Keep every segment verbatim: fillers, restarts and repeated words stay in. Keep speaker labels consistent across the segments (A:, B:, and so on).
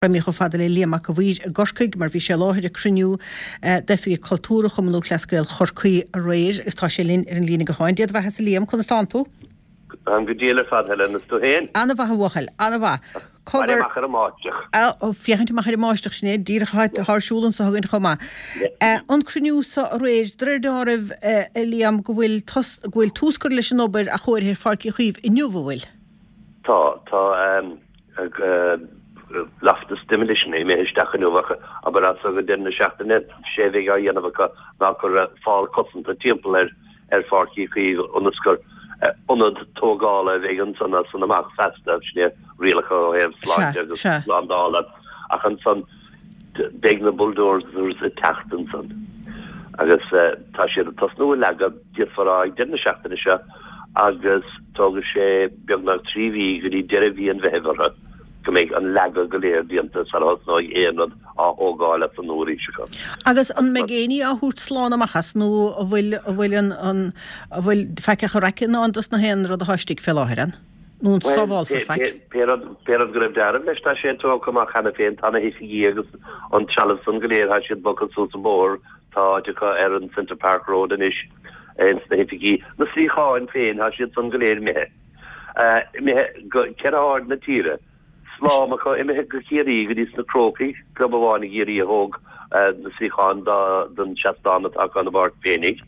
A: Beidh mé chomh fada le Liam Mac a' Mhaoir i gCorcaigh mar bhí sé i láthair ag cruinniú d'Oifigigh Cultúrtha Chumann Lúthchleas Gael Chorcaí aréir agus tá sé linn ar an líne gutháin. Dia do bheatha-sa Liam, conas tánn tú?
B: Táim go diail ar fad, Helen, is tú féin?
A: Ana-mhaith a bhuachaill, ana-mhaith.
B: Cogar. Amach ar an mbáisteach.
A: Féachaint amach ar an mbáisteach, sin é, díreach atá ar siúl anso againn chomh maith. An cruinniú so aréir, de réir dealraimh, a Liam, go bhfuil go bhfuil tús curtha leis an obair athchóirithe ar Pháirc Uí Chaoimh inniu, an bhfuil?
B: Tá, tá. Loftus Demolition imithe isteach inniu ach abair as so go deireadh na seachtaine sé a bheidh á dhéanamh acu ná cur fál cosanta timpeall ar ar Pháirc Uí Chaoimh ionas gur ionad tógála a bheidh ansan as san amach feasta, sin é rialacha ó thaobh sláinte agus slándála ach ansan beidh na bulldozers ag teacht ansan agus tá siad ag tosnú ag leagadh d'fhéadfá a rá ag deireadh na seachtaine seo agus tógfaidh sé beagnach trí mhí go dtí deireadh mhí an Mheithimh orthu go mbeidh an leagadh go léir déanta sara thosnóidh aon rud á thógáil as an nua arís acu.
A: Agus an mbeidh éinní á thabhairt slán amach as nó an bhfuil an bhfuil an an bhfuil faic a chur aici in ann dos na haon rud atá istigh fé láthair an nó an sábhálfar faic?
B: Pé rud pé rud go raibh dealramh leis tá sé tógtha amach cheana féin tá na hoifigí agus an trealamh san go léir tá siad bogtha suas an bóthar tá áit acu ar an Centre Park Road anois ins na hoifigí. Na suíocháin féin, tá siad san go léir imithe. Imithe go ceithre haird na tíre. Slám acu imithe go Ciarraí go dtí sna Crócaigh, club amháin i gCiarraí a thóg na suíocháin don seastán atá acu ina bpáirc féinig,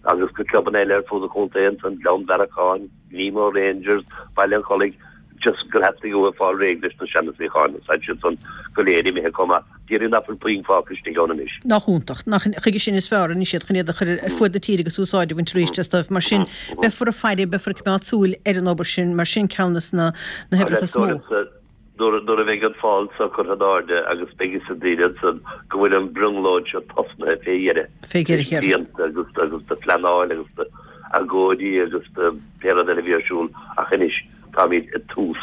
B: agus go clubanna eile ar fud an chontae ansan, Gleann Bhearacáin, Nemo Rangers, Baile an Chollaigh, just gur theastaigh uathu fáil réidh leis na seana-suíocháin, tá siad san go léir imithe chomh maith. Déarfainn nach bhfuil puinn fágtha istigh ann anois.
A: Nach iontach. Nach chuige sin is fearr anois iad chun iad a chur ar fuaid na tíre agus úsáid a bhaint arís astu. Mar sin, beifear ag faire, beifear ag coimeád súil ar an obair sin, mar sin ceann de na hoibreacha is mó.
B: Nuair a bheidh an fál seo curtha in airde agus beidh fhios ag daoine ansan go bhfuil an brionglóid seo tosnaithe fé dheireadh,
A: Fé dheireadh thiar.
B: blianta agus agus de phleanáil agus de agóidí agus de pé rud eile a bhí ar siúl ach anois táimid ag tús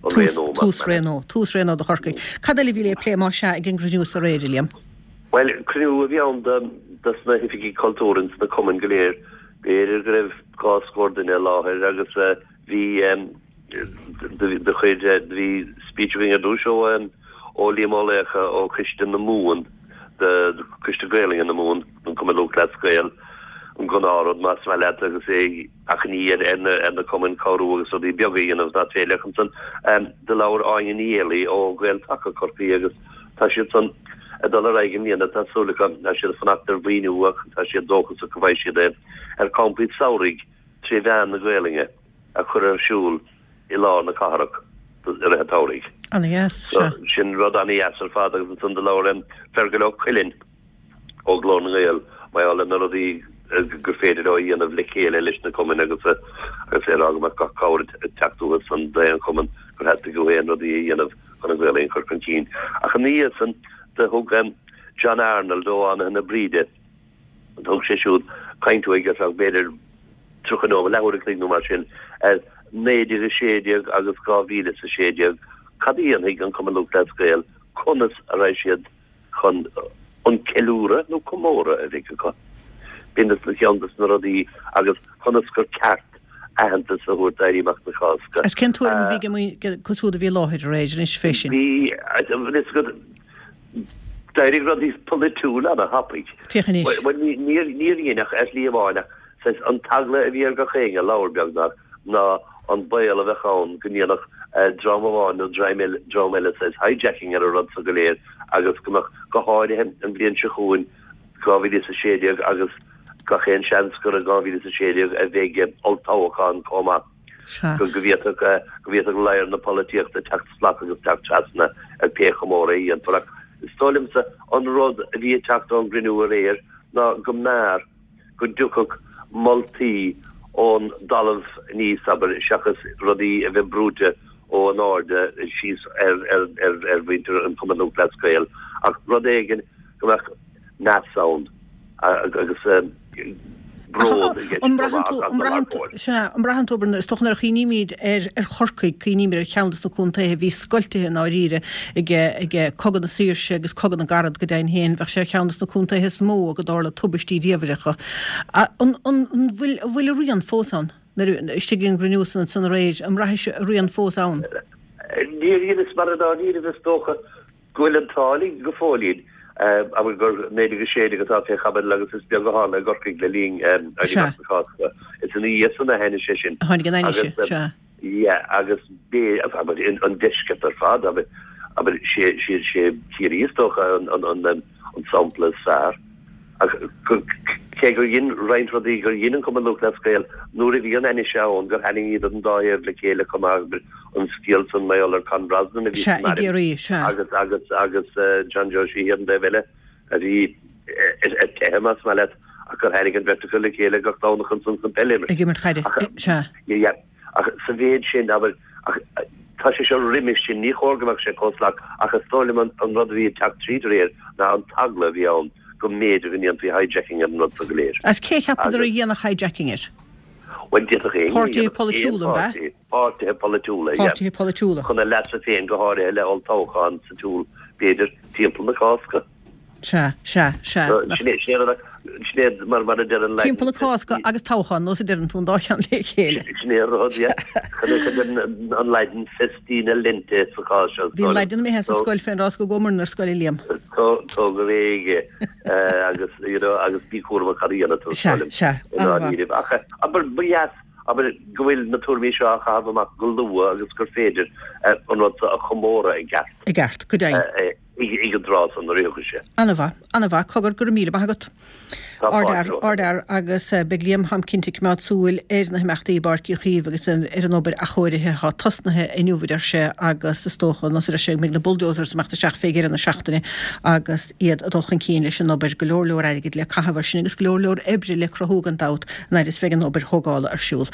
B: an ré
A: Tús,
B: nua, más
A: tús
B: maith
A: ré
B: leat.
A: nua, tús ré nua do Chorcaigh. Cad eile a bhí le plé más ea ag an gcruinniú so aréir, a Liam?
B: Bhuel, cruinniú a bhí ann do dos na hoifigigh cultúir ins na cumainn go léir. B'fhéidir go raibh dhá scór duine i láthair agus bhí do chuir do bhí speech againn ar dtús ó ó Liam Ó Laochdha ó Choiste na Mumhan de Coiste Gaelainne na Mumhan, an Cumann Lúthchleas Gael, an gnáthrud más maith leat agus é ag achainí ar ar na cumainn cabhrú agus rudaí beaga a dhéanamh más féidir leo. Ansan do labhair Áine Ní Éalaí ó Ghael Taca Chorcaí agus tá siad san ag dul ar aghaidh i mbliana, tá súil acu, tá siad ag fanacht ar mhaoiniú ach tá siad dóchasach go bhfaighidh siad é, ar campaí samhraidh tré mheán na Gaelainne a chur ar siúl i lár na cathrach i rith an tsamhraidh.
A: Ana-dheas, sea.
B: Sin rud ana-dheas ar fad agus ansan do labhair Fergal Ó Cuilinn ó Ghlór na nGael mar gheall ar na rudaí gur féidir leo a dhéanamh le chéile leis na cumainn agus agus é ag rá go mbeadh gach cabhair ag teacht uathu san d'aon chumann gur theastaigh uathu aon rudaí a dhéanamh chun an Ghaelainn a chur chun cinn. Ach ina dhiaidh san do thug John Arnold ó Fhánaithe na Bríde, thug sé siúd caint uaidh ar feadh b'fhéidir tríocha nóiméad, leathuair a chloig nó mar sin, ar naoi déag a sé déag agus dhá mhíle is a sé déag, cad a dhéanfaidh an Cumann Lúthchleas Gael, conas a raghaidh siad chun an ceiliúradh nó comóradh a bheidh acu. B'in ceann de na rudaí agus conas gur ceart aitheantas a thabhairt d'Éirí Amach na Cásca.
A: Is cén tuairim a bhí acu siúd a bhí i láthair aréir anois fé sin?
B: Bhí, d'éirigh rudaí polaitiúil ana-thapaidh.
A: Féach anois.
B: Bhuel, níor dhein ach ar shlí amháin ach saghas an t-eagla a bhí ar gach éinne a labhair beagnach ná an baol a bheadh ann go ndéanfadh dream amháin nó dream eile saghas hijacking ar an rud so go léir agus go mbeadh, go háirithe an bhliain seo chugainn, dhá mhíle is a sé déag agus gach aon seans gur i dhá mhíle is a sé déag a bheidh olltoghchán chomh maith, go bhféadfadh go bhféadfadh ladhar na polaitíochta teacht isteach agus teacht trasna ar pé chomóradh a dhéanfar. Ach is dóigh liomsa an rud a bhí ag teacht ón gcruinniú aréir ná go mb'fhearr go dtiocfadh moltaí ón dtalamh aníos, abair, seachas rudaí a bheith brúite ó in airde síos ar ar mhuintir an Chumainn Lúthchleas Gael, ach rud éigin go mbeadh meas ann agus bród i gceist
A: An mbraitheann tú, an mbraitheann tú, sea, an mbraitheann tú, is dócha nuair a chuimhnímid ar ar Chorcaigh, cuimhnímid ar cheann de na contaetha a bhí scoiltithe i ndáiríre ag ag Cogadh na Saoirse agus Cogadh na gCarad go deimhin féin, bheadh sé ar cheann de na contaetha is mó go dtarla tubaistí diamhaireacha. An an an bhfuil an bhfuil a rian fós ann nuair istigh ag an gcruinniú san ansan aréir, an mbraithis a rian fós ann?
B: Níor dheineas mar i ndáiríribh is dócha. Go bhfuil an t-ádh linn go fóillín, abair gur naoi déag a sé déag atá fé chaibidil agus is beag a tharla i gCorcaigh le linn Éirí Amach na Cásca. Is ina dhiaidh san a tháinig sé sin.
A: Tháinig an ainnise, sea.
B: Yeah, agus b'é, abair, an deisceart ar fad, abair, abair, sé, sé, sé Ciarraí is dócha an, an, an, an sampla is fearr. Ach cé gur dhein roinnt rudaí, gur dhein an Cumann Lúthchleas Gael nuair a bhí an ainnise ann, gur tharraing iad an dá thaobh le chéile chomh maith, an scéal san mar gheall ar Con Brosnan a bhí
A: san
B: arm agus agus agus John Joe Sheehy ar an dtaobh eile a bhí ar teitheadh más maith leat ach gur tháinig an bheirt acu le chéile gach Domhnach ansan chun peil a imirt.
A: Ag imirt caide, sea.
B: Yeah. Ach sa mhéid sin, abair, ach tá sé seo roimis sin, ní chóir go mbeadh sé chomh salach, ach is dóigh liom an rud a bhí ag teacht tríd aréir ná an t-eagla a bhí ann go mb'fhéidir go ndéanfaí hijacking ar an rud seo go léir.
A: Agus cé a cheapadar a dhéanfadh hijacking air?
B: Bhuel, d'fhéadfadh éinne a
A: Páirtithe
B: dhéanamh, aon
A: polaitiúla, an ea?
B: pháirtí, páirtithe polaitiúla, yeah.
A: Páirtithe polaitiúla.
B: Chun a leasa féin, go háirithe le olltoghchán sa tsiúl, b'fhéidir, timpeall na Cásca.
A: Sea, sea, sea.
B: Sin é, sin é rud, sin é mar, mar a deir an Laidin.
A: Timpeall na Cásca agus toghchán, nós a deireann tú an dá cheann le chéile.
B: Sin é an rud, yeah. Chun é, chun an, an Laidin festina lente sa chás seo.
A: Bhí an Laidin imithe as an scoil fén dtráth is go gcuamarna ar scoil, a Liam.
B: Tóg go réidh é agus, you know, agus bí cúramach cad a dhéanfaidh tú,
A: Sea, sea,
B: i ndáiríribh. Ach, abair, ba dheas, abair, go bhfuil na tuairimí seo á chaitheamh amach go luath agus gur féidir an rud seo a chomóradh i gceart.
A: I gceart, go deimhin.
B: Ag an dtráth san nuair a thiocfaidh sé.
A: Ana-mhaith, ana-mhaith. Cogar, go raibh míle maith agat.
B: Tá fáilte
A: Ardfhear,
B: romhat.
A: ardfhear agus beidh Liam, táim cinnte, ag coimeád súil ar na himeachtaí i bPáirc Uí Chaoimh agus ar an obair athchóirithe atá tosnaithe inniu, a deir sé, agus is dócha, nós a deir sé, go mbeidh na bulldozers ag imeacht isteach fé dheireadh na seachtaine agus iad ag dul chun cinn leis an obair. Go leor leor airgid le caitheamh air sin agus go leor leor oibre le cruthú gan dabht an fhaid is bheidh an obair thógála ar siúl.